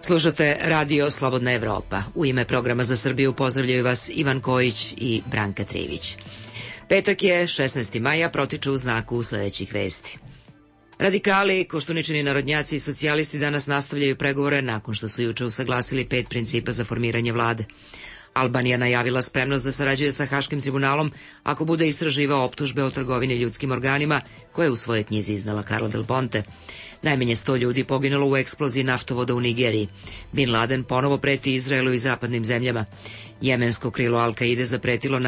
Slušate Radio Slobodna Evropa. U ime programa za Srbiju pozdravljaju vas Ivan Kojić i Branka Trivić. Petak je 16. maja, protiče u znaku sledećih vesti. Radikali, Koštuničini narodnjaci i socijalisti danas nastavljaju pregovore nakon što su juče usaglasili 5 principa za formiranje vlade. Albanija najavila spremnost da sarađuje sa Haškim tribunalom ako bude istraživao optužbe o trgovini ljudskim organima koje je u svojoj knjizi iznala Carla Del Ponte. Najmanje 100 ljudi poginulo u eksploziji naftovoda u Nigeriji. Bin Laden ponovo preti Izraelu i zapadnim zemljama. Jemensko krilo Al-Kaide zapretilo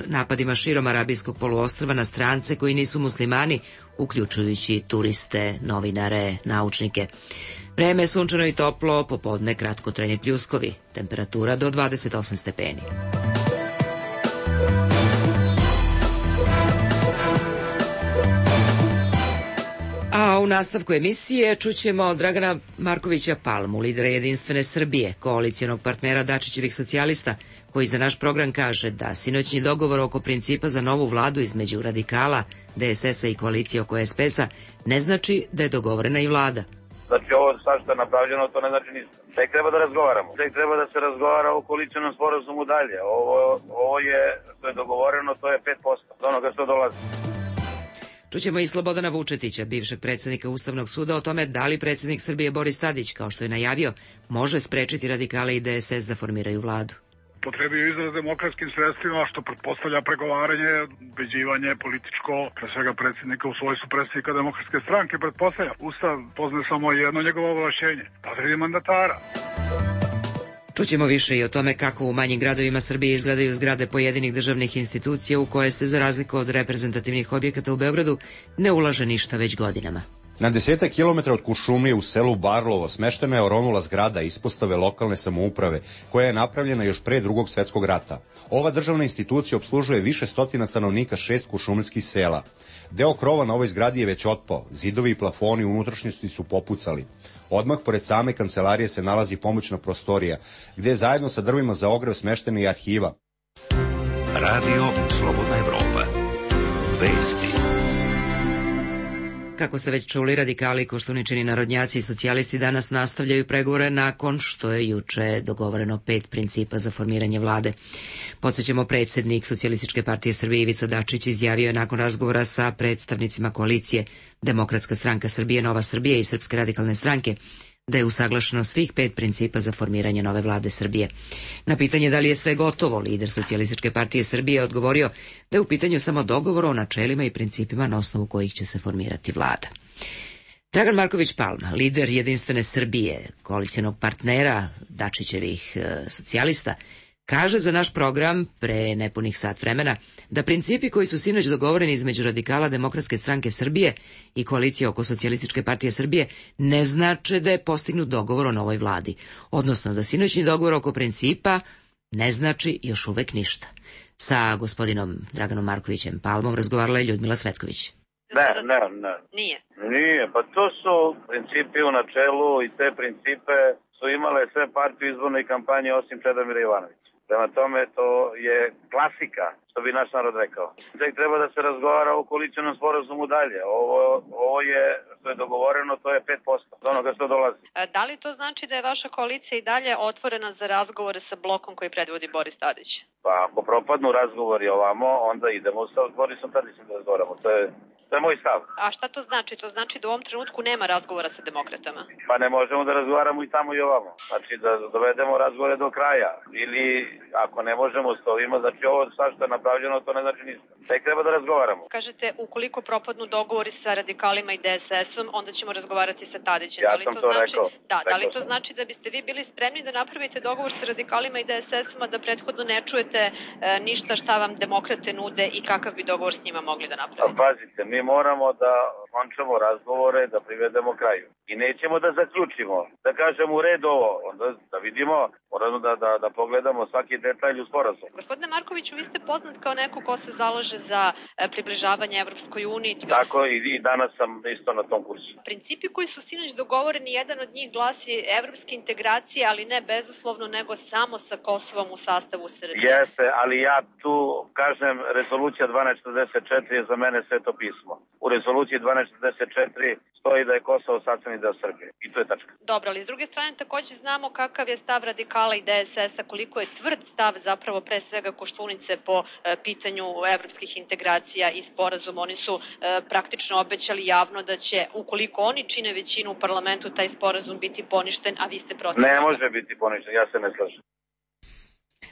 napadima širom Arabijskog poluostrva na strance koji nisu muslimani, uključujući turiste, novinare, naučnike. Vreme je sunčano i toplo, popodne kratkotrajni pljuskovi. Temperatura do 28 stepeni. A u nastavku emisije čućemo Dragana Markovića Palmu, lidera Jedinstvene Srbije, koalicijonog partnera Dačićevih socijalista, koji za naš program kaže da sinoćni dogovor oko principa za novu vladu između radikala, DSS-a i koalicije oko SPS-a ne znači da je dogovorena i vlada. Znači ovo sad što je napravljeno, to ne znači ništa. Tek treba da razgovaramo. Tek treba da se razgovara o koalicionom sporazumu dalje. Ovo je, što je dogovoreno, to je 5% od onoga što dolazi. Čućemo i Slobodana Vučetića, bivšeg predsjednika Ustavnog suda, o tome da li predsjednik Srbije Boris Tadić, kao što je najavio, može sprečiti radikale i DSS da formiraju vladu. Potrebio izraz demokratskim sredstvima, što pretpostavlja pregovaranje, ubeđivanje političko, pre svega predsjednika u svojstvu predsjednika Demokratske stranke, pretpostavlja. Ustav poznaje samo jedno njegovo ovlašćenje, potvrdi mandatara. Čućemo više i o tome kako u manjim gradovima Srbije izgledaju zgrade pojedinih državnih institucija u koje se, za razliku od reprezentativnih objekata u Beogradu, ne ulaže ništa već godinama. Na 10 kilometara od Kuršumlije u selu Barlovo smeštena je oronula zgrada ispostave lokalne samouprave, koja je napravljena još pre Drugog svetskog rata. Ova državna institucija obslužuje više stotina stanovnika 6 kuršumlijskih sela. Deo krova na ovoj zgradi je već otpao, zidovi i plafoni u unutrašnjosti su popucali. Odmah pored same kancelarije se nalazi pomoćna prostorija, gde je zajedno sa drvima za ogrev smeštena i arhiva. Radio Slobodna Evropa. Vesti. Kako ste već čuli, radikali, Koštuničini narodnjaci i socijalisti danas nastavljaju pregovore nakon što je juče dogovoreno 5 principa za formiranje vlade. Podsjećamo, predsjednik Socijalističke partije Srbije Ivica Dačić izjavio je nakon razgovora sa predstavnicima koalicije Demokratska stranka Srbije, Nova Srbija i Srpske radikalne stranke da je usaglašeno svih 5 principa za formiranje nove vlade Srbije. Na pitanje da li je sve gotovo, lider Socijalističke partije Srbije odgovorio da je u pitanju samo dogovor o načelima i principima na osnovu kojih će se formirati vlada. Dragan Marković Palma, lider Jedinstvene Srbije, koalicijonog partnera Dačićevih socijalista, kaže za naš program pre nepunih sat vremena da principi koji su sinoć dogovoreni između radikala Demokratske stranke Srbije i koalicije oko Socijalističke partije Srbije ne znače da je postignut dogovor o novoj vladi, odnosno da sinoćni dogovor oko principa ne znači još uvek ništa. Sa gospodinom Draganom Markovićem Palmom razgovarala je Ljudmila Cvetković. Ne. Nije, pa to su principi u načelu i te principe su imale sve partije u izbornoj kampanji osim Čedomira Jovanovića. Prema tome, to je klasika, što bi naš narod rekao. Tek treba da se razgovara o koalicionom sporazumu dalje. Ovo je, što je dogovoreno, to je 5% od onoga što dolazi. Da li to znači da je vaša koalicija i dalje otvorena za razgovore sa blokom koji predvodi Boris Tadić? Pa ako propadnu razgovori ovamo, onda idemo sa Borisom Tadićem da razgovaramo. To je moj stav. A šta to znači? To znači da u ovom trenutku nema razgovora sa demokratama? Pa ne možemo da razgovaramo i tamo i ovamo. Znači da dovedemo razgovore do kraja. Ili ako ne možemo stovimo, znači ovo sad što je napravljeno, to ne znači ništa. Tek treba da razgovaramo. Kažete, ukoliko propadnu dogovori sa radikalima i DSS-om, onda ćemo razgovarati sa Tadićem. Ja sam to rekao. Da li to znači da biste vi bili spremni da napravite dogovor sa radikalima i DSS-om, a da prethodno ne čujete ništa šta vam demokrate nude i kakav bi dogovor s njima mogli da napravite? A pazite, mi moramo da končamo razgovore, da privedemo kraju. I nećemo da zaključimo, da kažemo u redu ovo, onda da vidimo, moramo da pogledamo svaki detalj u sporazumu. Gospodine Markoviću, vi ste poznat kao neko ko se zalaže za približavanje Evropskoj uniji. Tako i danas sam isto na tom kursu. Principi koji su sinoć dogovoreni, jedan od njih glasi evropske integracije, ali ne bezuslovno, nego samo sa Kosovom u sastavu Srbije. Jeste, ali ja tu kažem, rezolucija 1244 je za mene sveto pismo. U rezoluciji 1244 stoji da je Kosovo sastavni deo Srbije. I to je tačka. Dobro, ali s druge strane takođe znamo kakav je stav radikala i DSS-a, koliko je tvrd stav zapravo pre svega Koštunice po pitanju evropskih integracija i sporazuma. Oni su praktično obećali javno da će, ukoliko oni čine većinu u parlamentu, taj sporazum biti poništen, a vi ste protiv. Ne može biti poništen, ja se ne slažem.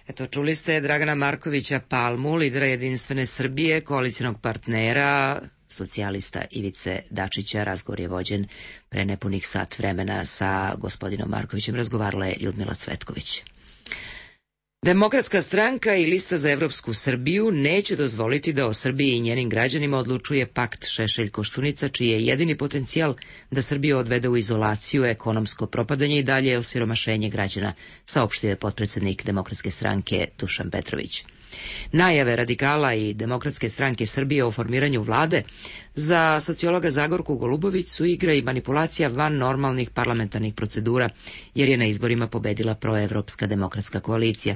Eto, čuli ste Dragana Markovića Palmu, lidera Jedinstvene Srbije, koalicionog partnera socijalista Ivice Dačića. Razgovor je vođen pre nepunih sat vremena sa gospodinom Markovićem. Razgovarala je Ljudmila Cvetković. Demokratska stranka i Lista za evropsku Srbiju neće dozvoliti da o Srbiji i njenim građanima odlučuje pakt Šešelj-Koštunica, čiji je jedini potencijal da Srbiju odvede u izolaciju, ekonomsko propadanje i dalje osiromašenje građana, saopštio je potpredsednik Demokratske stranke Dušan Petrović. Najave radikala i Demokratske stranke Srbije o formiranju vlade za sociologa Zagorku Golubović su igra i manipulacija van normalnih parlamentarnih procedura, jer je na izborima pobedila proevropska demokratska koalicija.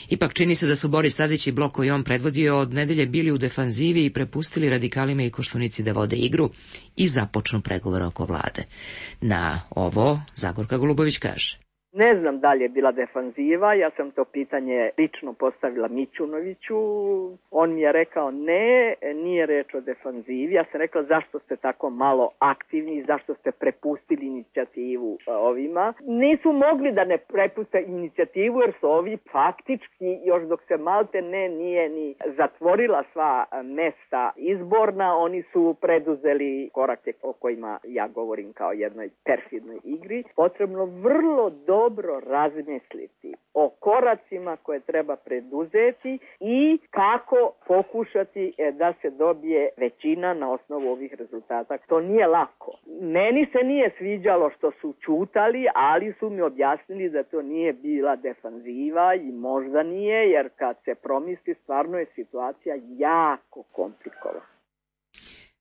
Ipak čini se da su Boris Tadić i blok koji on predvodio od nedelje bili u defanzivi i prepustili radikalima i Koštunici da vode igru i započnu pregovore oko vlade. Na ovo Zagorka Golubović kaže: Ne znam da li je bila defanziva, ja sam to pitanje lično postavila Mićunoviću, on mi je rekao ne, nije reč o defanzivi, ja sam rekla zašto ste tako malo aktivni, zašto ste prepustili inicijativu ovima. Nisu mogli da ne prepuste inicijativu jer su ovi faktički, još dok se malte ne nije ni zatvorila sva mesta izborna, oni su preduzeli korake o kojima ja govorim kao jednoj perfidnoj igri. Potrebno vrlo dobro razmisliti o koracima koje treba preduzeti i kako pokušati da se dobije većina na osnovu ovih rezultata. To nije lako. Meni se nije sviđalo što su ćutali, ali su mi objasnili da to nije bila defanziva i možda nije, jer kad se promisli stvarno je situacija jako komplikovana.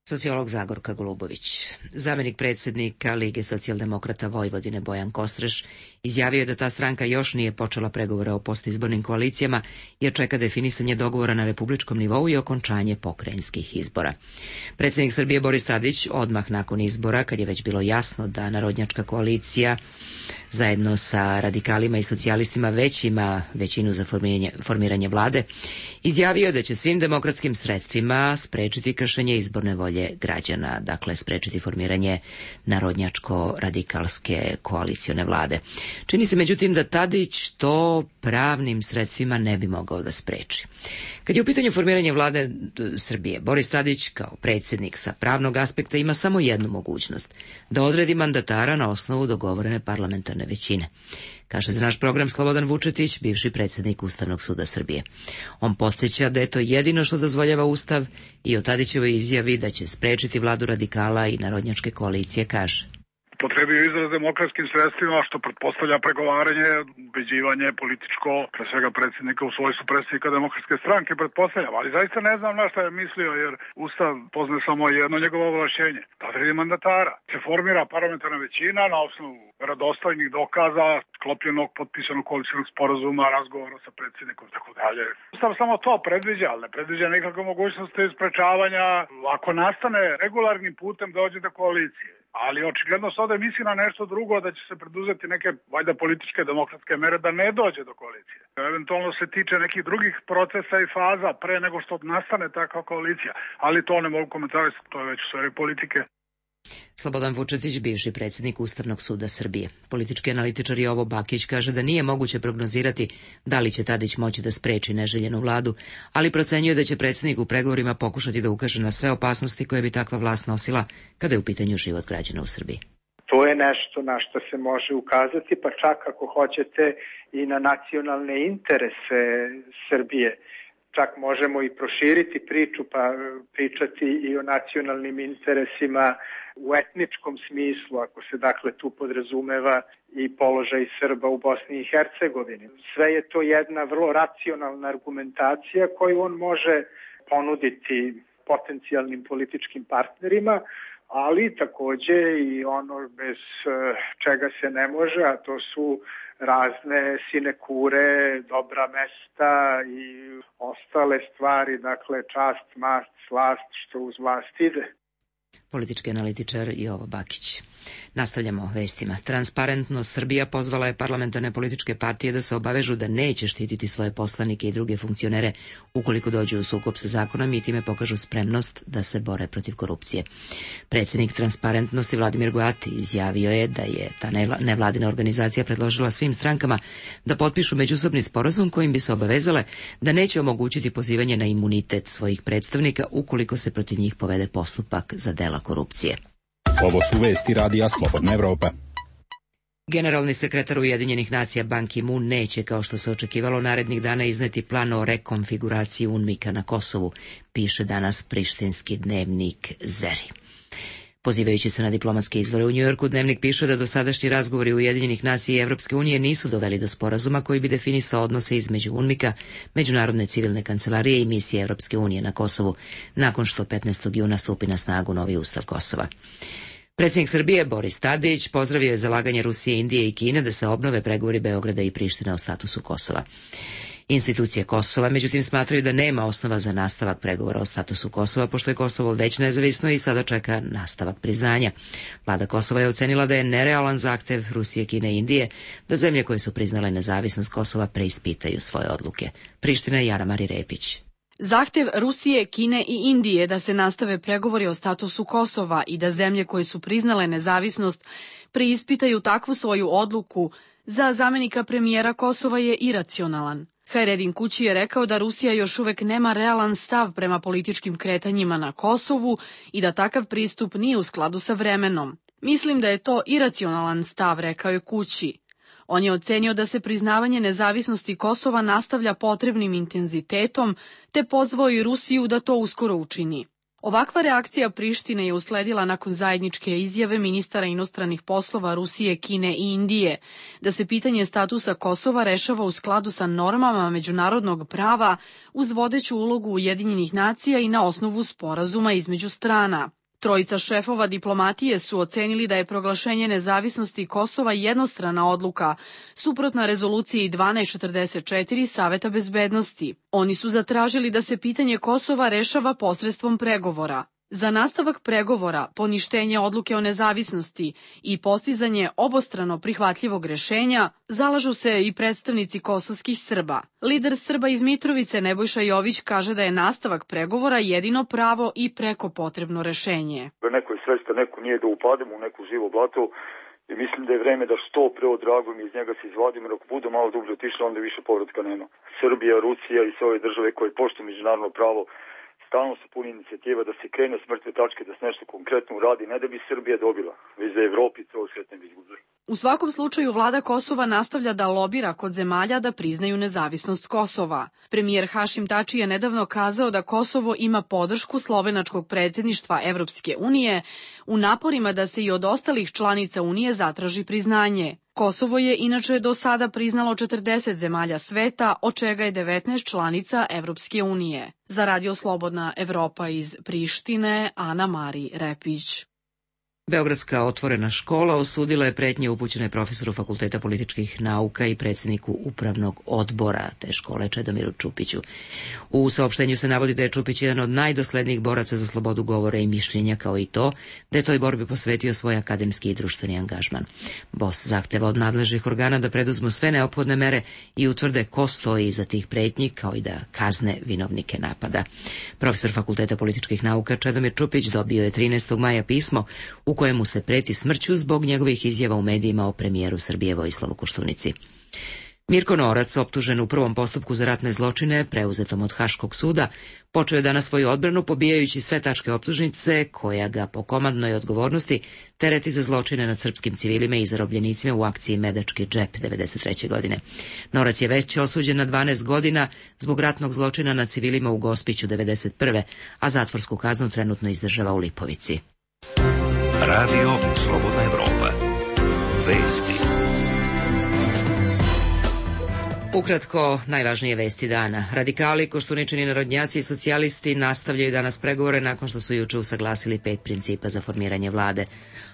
Sociolog Zagorka Golubović. Zamenik predsjednika Lige socijaldemokrata Vojvodine Bojan Kostreš izjavio je da ta stranka još nije počela pregovore o postizbornim koalicijama jer čeka definisanje dogovora na republičkom nivou i okončanje pokrajinskih izbora. Predsjednik Srbije Boris Tadić odmah nakon izbora, kad je već bilo jasno da narodnjačka koalicija zajedno sa radikalima i socijalistima već ima većinu za formiranje vlade, izjavio da će svim demokratskim sredstvima sprečiti kršenje izborne volje građana, dakle sprečiti formiranje narodnjačko-radikalske koalicione vlade. Čini se međutim da Tadić to pravnim sredstvima ne bi mogao da spreči. Kad je u pitanju formiranje vlade Srbije, Boris Tadić kao predsjednik sa pravnog aspekta ima samo jednu mogućnost, da odredi mandatara na osnovu dogovorene parlamentarne većine. Kaže za naš program Slobodan Vučetić, bivši predsjednik Ustavnog suda Srbije. On podsjeća da je to jedino što dozvoljava Ustav i o Tadićevoj izjavi da će sprečiti vladu radikala i narodnjačke koalicije kaže: Potrebio izraz demokratskim sredstvima, što pretpostavlja pregovaranje, ubeđivanje političko, pre svega predsjednika u svojstvu predsjednika Demokratske stranke, pretpostavljam, ali zaista ne znam na šta je mislio, jer Ustav poznaje samo jedno njegovo ovlašćenje, da odredi mandatara. Se formira parlamentarna većina na osnovu verodostojnih dokaza, sklopljenog, potpisanog koalicionog sporazuma, razgovora sa predsjednikom, tako dalje. Ustav samo to predviđa, ali ne predviđa nikakve mogućnosti sprečavanja ako nastane regularnim putem dođe do koalicije. Ali očigledno se ovdje misli na nešto drugo, da će se preduzeti neke, valjda političke demokratske mere da ne dođe do koalicije. Eventualno se tiče nekih drugih procesa i faza pre nego što nastane takva koalicija, ali to ne mogu komentarisati, to je već u sferi politike. Slobodan Vučetić, bivši predsjednik Ustavnog suda Srbije. Politički analitičar Jovo Bakić kaže da nije moguće prognozirati da li će Tadić moći da spreči neželjenu vladu, ali procenjuje da će predsjednik u pregovorima pokušati da ukaže na sve opasnosti koje bi takva vlast nosila kada je u pitanju život građana u Srbiji. To je nešto na što se može ukazati, pa čak ako hoćete i na nacionalne interese Srbije. Čak možemo i proširiti priču pa pričati i o nacionalnim interesima u etničkom smislu, ako se dakle tu podrazumeva i položaj Srba u Bosni i Hercegovini. Sve je to jedna vrlo racionalna argumentacija koju on može ponuditi potencijalnim političkim partnerima, ali takođe i ono bez čega se ne može, a to su razne sinekure, dobra mesta i ostale stvari, dakle čast, mast, slast, što uz vlast ide. politički analitičar Jovo Bakić. Nastavljamo vestima. Transparentno Srbija pozvala je parlamentarne političke partije da se obavežu da neće štititi svoje poslanike i druge funkcionere ukoliko dođu u sukob sa zakonom i time pokažu spremnost da se bore protiv korupcije. Predsjednik Transparentnosti Vladimir Goati izjavio je da je ta nevladina organizacija predložila svim strankama da potpišu međusobni sporazum kojim bi se obavezale da neće omogućiti pozivanje na imunitet svojih predstavnika ukoliko se protiv njih povede postupak za dela korupcije. Ovo su vesti Radija Slobodna Evropa. Generalni sekretar Ujedinjenih nacija Ban Ki-moon neće, kao što se očekivalo, narednih dana izneti plan o rekonfiguraciji UNMIK-a na Kosovu, piše danas prištinski dnevnik Zeri. Pozivajući se na diplomatske izvore u Njujorku, dnevnik piše da dosadašnji razgovori Ujedinjenih nacija i Evropske unije nisu doveli do sporazuma koji bi definisao odnose između UNMIK-a, Međunarodne civilne kancelarije i misije Evropske unije na Kosovu, nakon što 15. juna stupi na snagu novi ustav Kosova. Predsjednik Srbije Boris Tadić pozdravio je zalaganje Rusije, Indije i Kine da se obnove pregovori Beograda i Prištine o statusu Kosova. Institucije Kosova, međutim, smatraju da nema osnova za nastavak pregovora o statusu Kosova, pošto je Kosovo već nezavisno i sada čeka nastavak priznanja. Vlada Kosova je ocenila da je nerealan zahtev Rusije, Kine i Indije da zemlje koje su priznale nezavisnost Kosova preispitaju svoje odluke. Priština i Ana Mari Repić. Zahtev Rusije, Kine i Indije da se nastave pregovori o statusu Kosova i da zemlje koje su priznale nezavisnost preispitaju takvu svoju odluku za zamenika premijera Kosova je iracionalan. Hajredin Kući je rekao da Rusija još uvek nema realan stav prema političkim kretanjima na Kosovu i da takav pristup nije u skladu sa vremenom. Mislim da je to iracionalan stav, rekao je Kući. On je ocenio da se priznavanje nezavisnosti Kosova nastavlja potrebnim intenzitetom, te pozvao i Rusiju da to uskoro učini. Ovakva reakcija Prištine je usledila nakon zajedničke izjave ministara inostranih poslova Rusije, Kine i Indije, da se pitanje statusa Kosova rešava u skladu sa normama međunarodnog prava uz vodeću ulogu Ujedinjenih nacija i na osnovu sporazuma između strana. Trojica šefova diplomatije su ocenili da je proglašenje nezavisnosti Kosova jednostrana odluka, suprotna rezoluciji 1244 Saveta bezbednosti. Oni su zatražili da se pitanje Kosova rešava posredstvom pregovora. Za nastavak pregovora, poništenje odluke o nezavisnosti i postizanje obostrano prihvatljivog rešenja zalažu se i predstavnici kosovskih Srba. Lider Srba iz Mitrovice Nebojša Jović kaže da je nastavak pregovora jedino pravo i preko potrebno rešenje. Neko je svesta, neko nije da upademo u neku živo blato i mislim da je vreme da što pre odragujemo iz njega se izvadimo, jer ako budu malo dublje otišli, onda više povratka nema. Srbija, Rusija i sve ove države koje poštuju međunarodno pravo stalno su puni inicijativa da se krene s mrtve tačke, da se nešto konkretno uradi, ne da bi Srbija dobila, već da Evropi to svet ne bi izgubili. U svakom slučaju vlada Kosova nastavlja da lobira kod zemalja da priznaju nezavisnost Kosova. Premijer Hašim Tači je nedavno kazao da Kosovo ima podršku slovenačkog predsjedništva Evropske unije u naporima da se i od ostalih članica Unije zatraži priznanje. Kosovo je inače do sada priznalo 40 zemalja sveta, od čega je 19 članica Evropske unije. Za Radio Slobodna Evropa iz Prištine, Ana Mari Repić. Beogradska otvorena škola osudila je pretnje upućene profesoru Fakulteta političkih nauka i predsjedniku upravnog odbora te škole Čedomiru Čupiću. U saopštenju se navodi da je Čupić jedan od najdoslednijih boraca za slobodu govora i mišljenja, kao i to da je toj borbi posvetio svoj akademski i društveni angažman. BOS zahteva od nadležnih organa da preduzmu sve neophodne mere i utvrde ko stoji iza tih pretnji, kao i da kazne vinovnike napada. Profesor Fakulteta političkih nauka Čedomir Čupić dobio je 13. maja pismo u kojemu se preti smrću zbog njegovih izjava u medijima o premijeru Srbije Vojislavu Koštunici. Mirko Norac, optužen u prvom postupku za ratne zločine, preuzetom od Haškog suda, počeo je danas svoju odbranu pobijajući sve tačke optužnice koja ga po komandnoj odgovornosti tereti za zločine nad srpskim civilima i zarobljenicima u akciji Medački džep 1993. godine. Norac je već osuđen na 12 godina zbog ratnog zločina nad civilima u Gospiću 1991. a zatvorsku kaznu trenutno izdržava u Lipovici. Radio Slobodna Evropa. Vesti. Ukratko, najvažnije vesti dana. Radikali, Koštuničini narodnjaci i socijalisti nastavljaju danas pregovore nakon što su juče usaglasili 5 principa za formiranje vlade.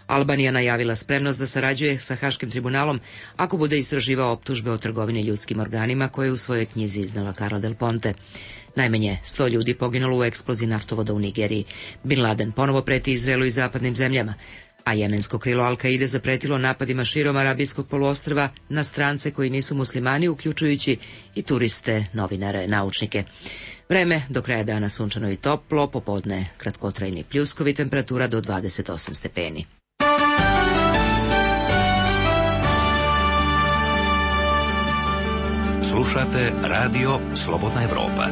Albanija najavila spremnost da sarađuje sa Haškim tribunalom ako bude istraživao optužbe o trgovini ljudskim organima koje je u svojoj knjizi iznala Carla Del Ponte. Najmanje 100 ljudi poginulo u eksploziji naftovoda u Nigeriji. Bin Laden ponovo preti Izraelu i zapadnim zemljama, a jemensko krilo Al-Kaide zapretilo napadima širom Arabijskog poluostrva na strance koji nisu muslimani, uključujući i turiste, novinare, naučnike. Vreme do kraja dana sunčano i toplo, popodne kratkotrajni pljuskovi, temperatura do 28 stepeni. Slušate Radio Slobodna Evropa.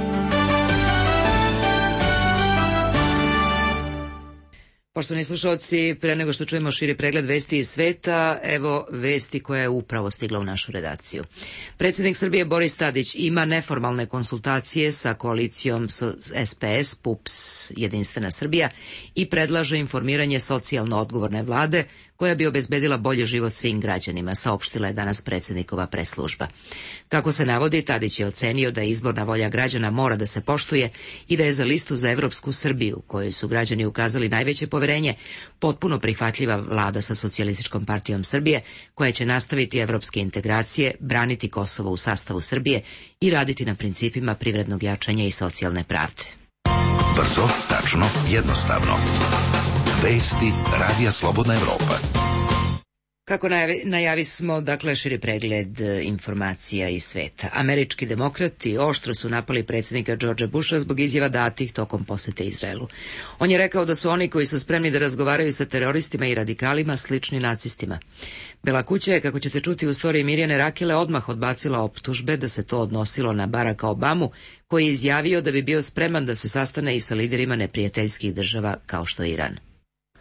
Poštovani slušalci, pre nego što čujemo širi pregled vesti iz sveta, evo vesti koja je upravo stigla u našu redakciju. Predsjednik Srbije Boris Tadić ima neformalne konsultacije sa koalicijom SPS, PUPS, Jedinstvena Srbija i predlaže informiranje socijalno odgovorne vlade koja bi obezbedila bolji život svim građanima, saopštila je danas predsjednikova preslužba. Kako se navodi, Tadić je ocenio da izborna volja građana mora da se poštuje i da je za listu za Evropsku Srbiju, kojoj su građani ukazali najveće poverenje, potpuno prihvatljiva vlada sa Socijalističkom partijom Srbije, koja će nastaviti evropske integracije, braniti Kosovo u sastavu Srbije i raditi na principima privrednog jačanja i socijalne pravde. Brzo, tačno, jednostavno. Vesti Radija Slobodna Evropa. Kako najavi smo, dakle, širi pregled informacija iz sveta. Američki demokrati oštro su napali predsjednika Georgea Busha zbog izjava datih tokom posete Izraelu. On je rekao da su oni koji su spremni da razgovaraju sa teroristima i radikalima slični nacistima. Bela kuća je, kako ćete čuti u storiji Mirjane Rakele, odmah odbacila optužbe da se to odnosilo na Baracka Obamu, koji je izjavio da bi bio spreman da se sastane i sa liderima neprijateljskih država kao što je Iran.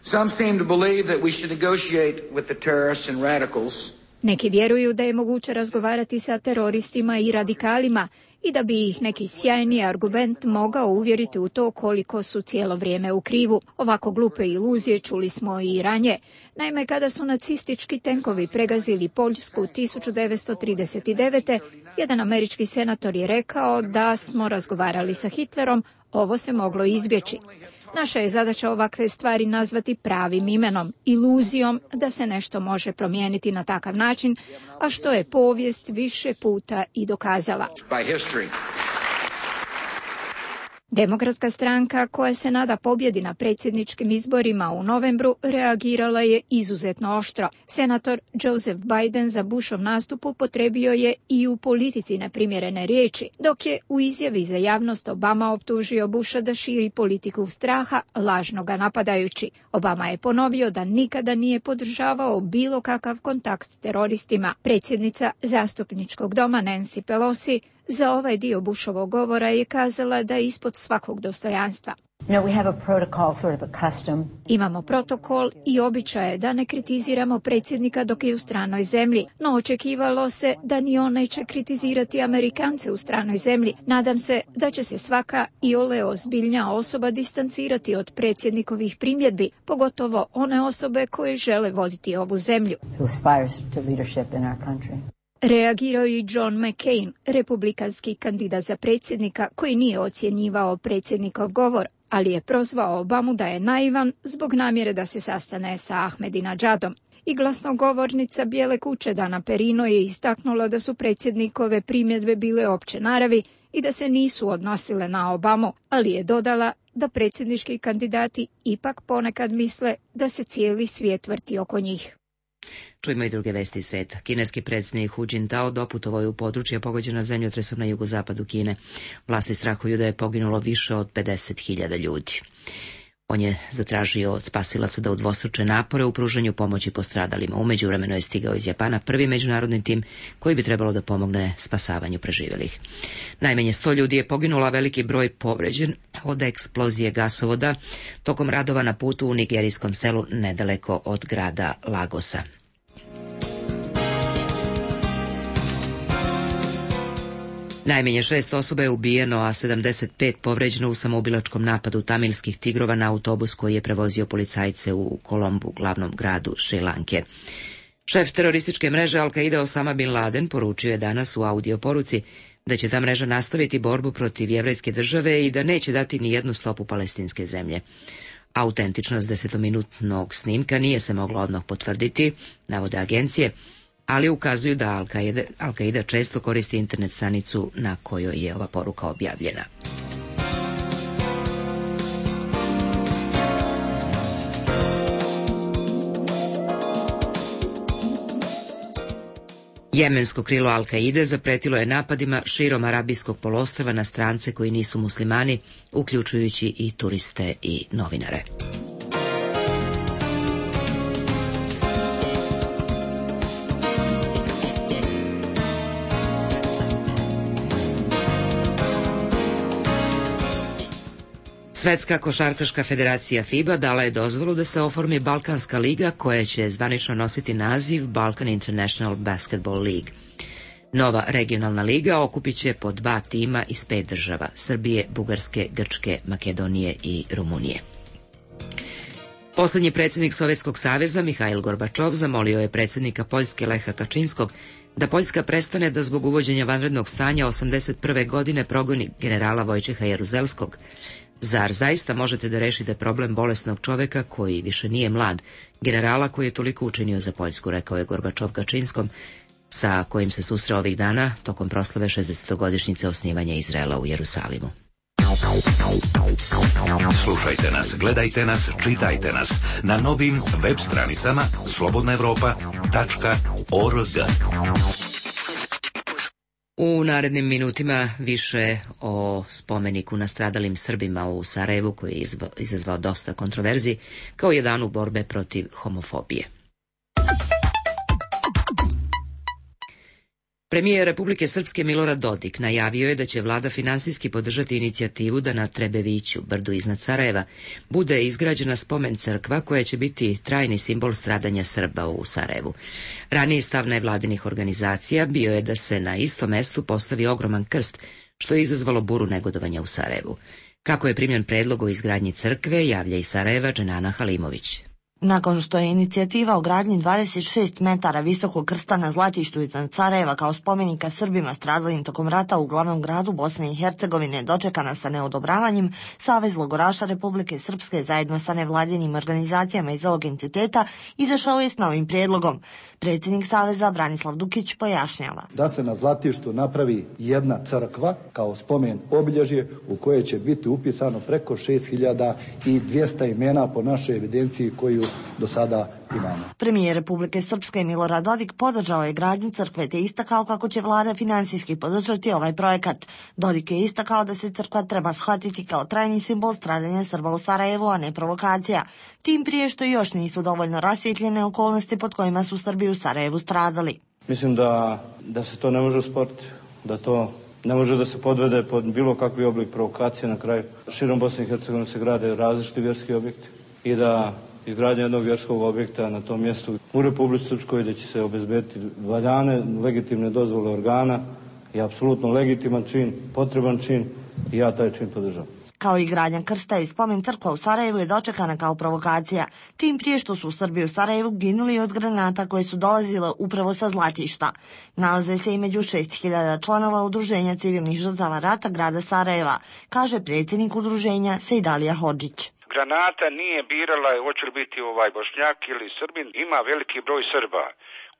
Some seem to believe that we should negotiate with the terrorists and radicals. Neki vjeruju da je moguće razgovarati sa teroristima i radikalima i da bi ih neki sjajni argument mogao uvjeriti u to koliko su cijelo vrijeme u krivu. Ovako glupe iluzije čuli smo i ranije. Naime, kada su nacistički tenkovi pregazili Poljsku 1939. jedan američki senator je rekao da smo razgovarali sa Hitlerom, ovo se moglo izbjeći. Naša je zadaća ovakve stvari nazvati pravim imenom, iluzijom da se nešto može promijeniti na takav način, a što je povijest više puta i dokazala. Demokratska stranka, koja se nada pobjedi na predsjedničkim izborima u novembru, reagirala je izuzetno oštro. Senator Joseph Biden za Bushov nastup upotrebio je i u politici neprimjerene riječi, dok je u izjavi za javnost Obama optužio Busha da širi politiku straha, lažno ga napadajući. Obama je ponovio da nikada nije podržavao bilo kakav kontakt s teroristima. Predsjednica zastupničkog doma Nancy Pelosi za ovaj dio Bushovog govora je kazala da je ispod svakog dostojanstva. Imamo protokol i običaje da ne kritiziramo predsjednika dok je u stranoj zemlji, no očekivalo se da ni on neće kritizirati Amerikance u stranoj zemlji. Nadam se da će se svaka iole ozbiljnija osoba distancirati od predsjednikovih primjedbi, pogotovo one osobe koje žele voditi ovu zemlju. Reagirao i John McCain, republikanski kandidat za predsjednika, koji nije ocjenjivao predsjednikov govor, ali je prozvao Obamu da je naivan zbog namjere da se sastane sa Ahmadinejadom. I glasnogovornica Bijele kuće Dana Perino je istaknula da su predsjednikove primjedbe bile opće naravi i da se nisu odnosile na Obamu, ali je dodala da predsjednički kandidati ipak ponekad misle da se cijeli svijet vrti oko njih. Čujemo i druge vesti iz sveta. Kineski predsjednik Hu Jintao doputovao je u područje pogođena zemljotresom na jugozapadu Kine. Vlasti strahuju da je poginulo više od 50.000 ljudi. On je zatražio od spasilaca da udvostruče napore u pružanju pomoći postradalima. U međuvremenu je stigao iz Japana prvi međunarodni tim koji bi trebalo da pomogne spasavanju preživjelih. Najmanje 100 ljudi je poginulo, a veliki broj povređen od eksplozije gasovoda tokom radova na putu u nigerijskom selu nedaleko od grada Lagosa. Najmanje 6 osoba je ubijeno, a 75 povređeno u samoubilačkom napadu tamilskih tigrova na autobus koji je prevozio policajce u Kolombu, glavnom gradu Šrilanke. Šef terorističke mreže Al-Qaida Osama Bin Laden poručio je danas u audio poruci da će ta mreža nastaviti borbu protiv jevrejske države i da neće dati ni jednu stopu palestinske zemlje. Autentičnost 10-minutnog snimka nije se mogla odmah potvrditi, navode agencije, ali ukazuju da Al-Qaida često koristi internet stranicu na kojoj je ova poruka objavljena. Jemensko krilo Al-Qaide zapretilo je napadima širom Arabijskog poluostrva na strance koji nisu muslimani, uključujući i turiste i novinare. Svetska košarkaška federacija FIBA dala je dozvolu da se oformi Balkanska liga koja će zvanično nositi naziv Balkan International Basketball League. Nova regionalna liga okupit će po 2 tima iz 5 država, Srbije, Bugarske, Grčke, Makedonije i Rumunije. Poslednji predsjednik Sovjetskog saveza, Mihail Gorbačov, zamolio je predsjednika Poljske Leha Kačinskog da Poljska prestane da zbog uvođenja vanrednog stanja 1981. godine progoni generala Vojčeha Jaruzelskog. Zar zaista možete da rešite problem bolesnog čoveka koji više nije mlad, generala koji je toliko učinio za Poljsku, rekao je Gorbačov Kačinskom, sa kojim se susreo ovih dana tokom proslave 60-godišnjice osnivanja Izraela u Jerusalimu. Slušajte nas, gledajte nas, čitajte nas na novim web stranicama slobodnaevropa.org. U narednim minutima više o spomeniku nastradalim Srbima u Sarajevu koji je izazvao dosta kontroverzi kao je danu borbe protiv homofobije. Premijer Republike Srpske Milorad Dodik najavio je da će vlada finansijski podržati inicijativu da na Trebeviću, brdu iznad Sarajeva, bude izgrađena spomen crkva koja će biti trajni simbol stradanja Srba u Sarajevu. Raniji stav nevladinih organizacija bio je da se na istom mestu postavi ogroman krst, što je izazvalo buru negodovanja u Sarajevu. Kako je primljen predlog o izgradnji crkve, javlja iz Sarajeva Dženana Halimović. Nakon što je inicijativa o gradnji 26 metara visokog krsta na Zlatištu iznad Sarajeva kao spomenika Srbima stradalim tokom rata u glavnom gradu Bosne i Hercegovine dočekana sa neodobravanjem, Savez logoraša Republike Srpske zajedno sa nevladinim organizacijama iz ovog entiteta izašao je s novim prijedlogom. Predsjednik Saveza Branislav Dukić pojašnjava. Da se na Zlatištu napravi jedna crkva kao spomen obilježje u koje će biti upisano preko 6200 imena po našoj evidenciji koju do sada imamo. Premijer Republike Srpske Milorad Dodik podržao je gradnju crkve te istakao kako će vlada finansijski podržati ovaj projekat. Dodik je istakao da se crkva treba shvatiti kao trajni simbol stradanja Srba u Sarajevu, a ne provokacija. Tim prije što još nisu dovoljno rasvjetljene okolnosti pod kojima su Srbi u Sarajevu stradali. Mislim da se to ne može usporiti, da to ne može da se podvede pod bilo kakvi oblik provokacije. Na kraju širom Bosne i Hercegovine se grade različiti vjerski objekti i da izgradnja jednog vjerskog objekta na tom mjestu u Republici Srpskoj da će se obezbediti valjane, legitimne dozvole organa i apsolutno legitiman čin, potreban čin i ja taj čin podržavam. Kao i gradnja krsta i spomen crkva u Sarajevu je dočekana kao provokacija, tim prije što su Srbi u Sarajevu ginuli od granata koje su dolazile upravo sa Zlatišta. Nalaze se i među 6000 članova Udruženja civilnih žrtava rata grada Sarajeva, kaže predsjednik udruženja Sejdalija Hodžić. Granata nije birala hoće li biti Bošnjak ili Srbin, ima veliki broj Srba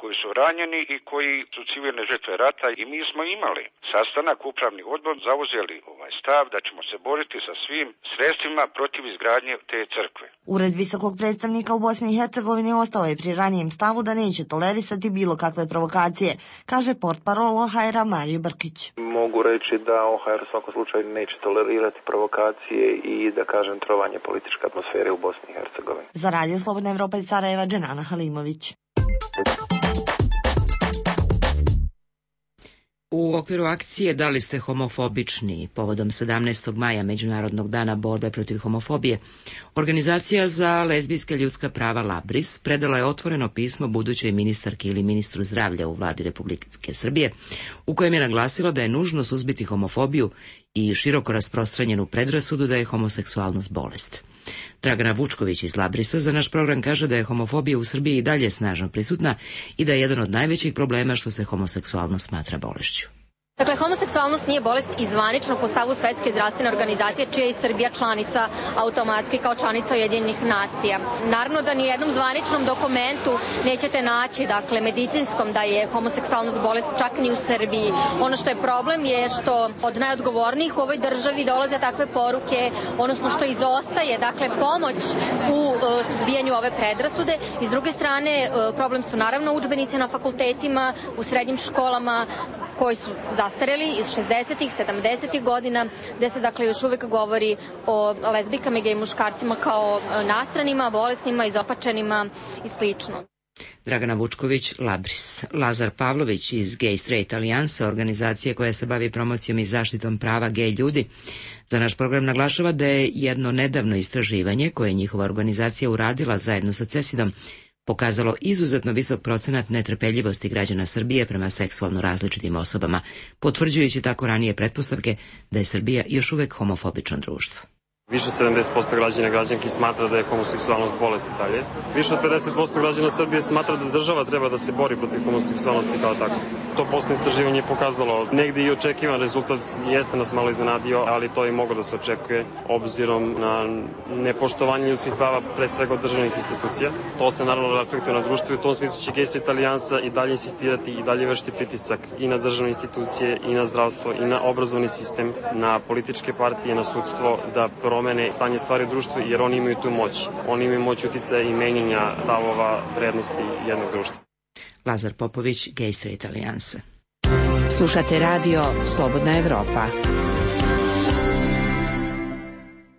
koji su ranjeni i koji su civilne žrtve rata i mi smo imali sastanak, upravni odbor, zauzeli stav da ćemo se boriti sa svim sredstvima protiv izgradnje te crkve. Ured visokog predstavnika u Bosni i Hercegovini ostao je pri ranijem stavu da neće tolerisati bilo kakve provokacije, kaže portparol OHR-a Mario Brkić. Mogu reći da OHR u svakom slučaju neće tolerirati provokacije i da kažem trovanje političke atmosfere u Bosni i Hercegovini. Za Radio Slobodna Evropa iz Sarajeva, Dženana Halimović. U okviru akcije Da li ste homofobični povodom 17. maja Međunarodnog dana borbe protiv homofobije, Organizacija za lezbijska ljudska prava Labris predala je otvoreno pismo budućoj ministarki ili ministru zdravlja u vladi Republike Srbije, u kojem je naglasila da je nužno suzbiti homofobiju i široko rasprostranjenu predrasudu da je homoseksualnost bolest. Dragana Vučković iz Labrisa za naš program kaže da je homofobija u Srbiji i dalje snažno prisutna i da je jedan od najvećih problema što se homoseksualnost smatra bolešću. Dakle, homoseksualnost nije bolest i zvanično po stavu Svetske zdravstvene organizacije, čija je i Srbija članica automatski kao članica Ujedinjenih nacija. Naravno da ni u jednom zvaničnom dokumentu nećete naći, dakle, medicinskom da je homoseksualnost bolest, čak ni u Srbiji. Ono što je problem je što od najodgovornijih u ovoj državi dolaze takve poruke, odnosno što izostaje, dakle, pomoć u suzbijanju ove predrasude. I s druge strane, problem su naravno udžbenici na fakultetima, u srednjim školama, koji su zastareli iz 60-ih, 70-ih godina, gde se dakle još uvek govori o lezbijkama i gej muškarcima kao nastranima, bolesnima, izopačenima i slično. Dragana Vučković, Labris. Lazar Pavlović iz Gay Straight Alijanse, organizacije koja se bavi promocijom i zaštitom prava gej ljudi, za naš program naglašava da je jedno nedavno istraživanje koje je njihova organizacija uradila zajedno sa CESID-om pokazalo izuzetno visok procenat netrpeljivosti građana Srbije prema seksualno različitim osobama, potvrđujući tako ranije pretpostavke da je Srbija još uvek homofobično društvo. Više od 70% građana i građanki smatra da je homoseksualnost bolest i dalje. Više od 50% građana Srbije smatra da država treba da se bori protiv homoseksualnosti kao tako. To poslednje istraživanje je pokazalo negde i očekivan rezultat, jeste nas malo iznenadio, ali to i moglo da se očekuje obzirom na nepoštovanje ljudskih prava pred svega od državnih institucija. To se naravno reflektuje na društvo i u tom smislu će Gay Straight Alijansa i dalje insistirati i dalje vršiti pritisak i na državne institucije i na zdravstvo i na obrazovni sistem, na političke partije, na sudstvo da promene stanje stvari u društvu, jer oni imaju tu moć. Oni imaju moć uticaja i menjanja stavova vrednosti jednog društva. Lazar Popović, Gay Straight Alijanse. Slušate radio Slobodna Evropa.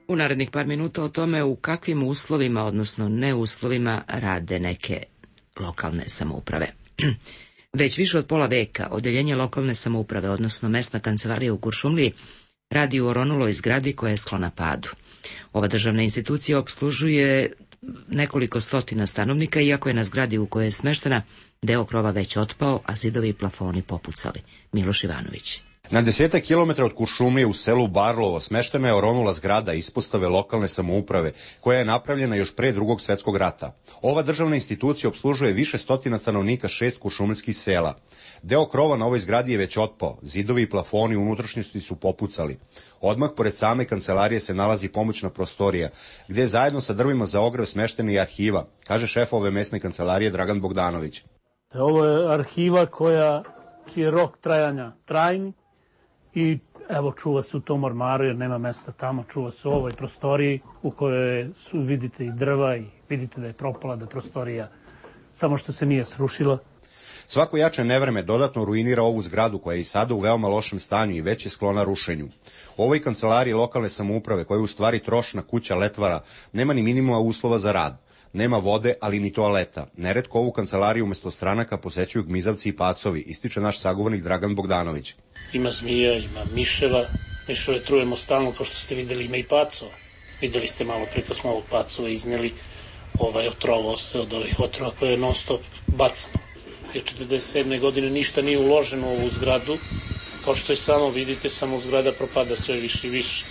U narednih par minuta o tome u kakvim uslovima, odnosno neuslovima, rade neke lokalne samouprave. Već više od pola veka odeljenje lokalne samouprave, odnosno mesna kancelarija u Kuršumliji, radi u oronuloj zgradi koja je sklona padu. Ova državna institucija opslužuje nekoliko stotina stanovnika, iako je na zgradi u kojoj je smeštena deo krova već otpao, a zidovi i plafoni popucali. Miloš Ivanović. Na 10 kilometara od Kuršumlije u selu Barlovo smeštena je oronula zgrada ispostave lokalne samouprave, koja je napravljena još pre Drugog svetskog rata. Ova državna institucija opslužuje više stotina stanovnika 6 kuršumlijskih sela. Deo krova na ovoj zgradi je već otpao, zidovi i plafoni u unutrašnjosti su popucali. Odmah pored same kancelarije se nalazi pomoćna prostorija, gde je zajedno sa drvima za ogrev smeštena i arhiva, kaže šef ove mesne kancelarije Dragan Bogdanović. Ovo je arhiva čiji je rok trajanja trajni i evo čuva se u tom ormaru jer nema mesta tamo, čuva se u ovoj prostoriji u kojoj vidite i drva i vidite da je propala, da je prostorija samo što se nije srušila. Svako jače nevreme dodatno ruinira ovu zgradu koja je i sada u veoma lošem stanju i već je sklona rušenju. U ovoj kancelariji lokalne samouprave, koja je u stvari trošna kuća letvara, nema ni minimuma uslova za rad. Nema vode, ali ni toaleta. Neretko ovu kancelariju umesto stranaka posećuju gmizavci i pacovi, ističe naš sagovornik Dragan Bogdanović. Ima zmija, ima miševa, miševe trujemo stalno, kao što ste videli, ima i pacova. Videli ste malo pre kad smo ovog pacova izneli, otrovao se od ovih otrova koje je non stop bacano. Jer 1947. godine ništa nije uloženo u ovu zgradu, kao što i samo vidite, samo zgrada propada sve više i više.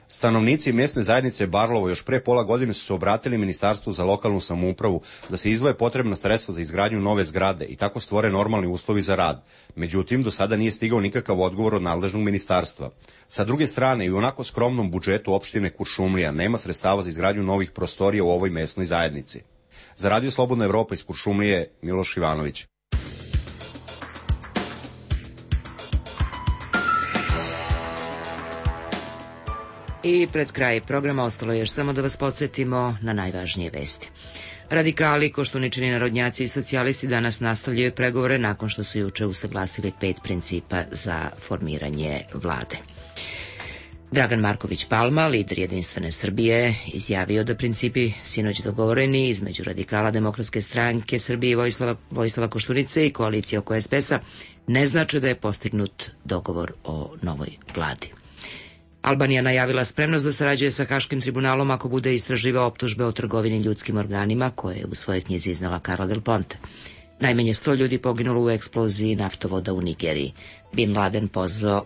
Stanovnici mesne zajednice Barlovo još pre pola godine su se obratili Ministarstvu za lokalnu samoupravu da se izdvoje potrebna sredstva za izgradnju nove zgrade i tako stvore normalni uslovi za rad. Međutim, do sada nije stigao nikakav odgovor od nadležnog ministarstva. Sa druge strane, i u onako skromnom budžetu opštine Kuršumlija nema sredstava za izgradnju novih prostorija u ovoj mesnoj zajednici. Za Radio Slobodna Evropa iz Kuršumlije, Miloš Ivanović. I pred kraj programa ostalo još samo da vas podsjetimo na najvažnije vesti. Radikali, koštuničini narodnjaci i socijalisti danas nastavljaju pregovore nakon što su juče usaglasili 5 principa za formiranje vlade. Dragan Marković Palma, lider Jedinstvene Srbije, izjavio da principi sinoć dogovoreni između radikala Demokratske stranke Srbije i Vojislava Koštunice i koalicije oko SPS-a ne znače da je postignut dogovor o novoj vladi. Albanija najavila spremnost da sarađuje sa Haškim tribunalom ako bude istraživao optužbe o trgovini ljudskim organima koje je u svojoj knjizi iznala Carla Del Ponte. Najmanje 100 ljudi poginulo u eksploziji naftovoda u Nigeriji. Bin Laden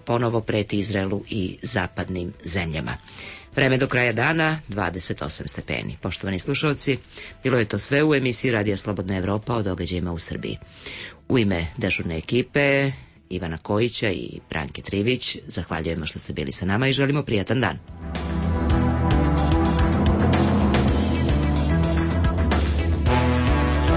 ponovo preti Izraelu i zapadnim zemljama. Vreme do kraja dana 28 stepeni. Poštovani slušalci, bilo je to sve u emisiji Radija Slobodna Evropa o događajima u Srbiji. U ime dežurne ekipe Ivana Kojića i Branke Trivić zahvaljujemo što ste bili sa nama i želimo prijatan dan.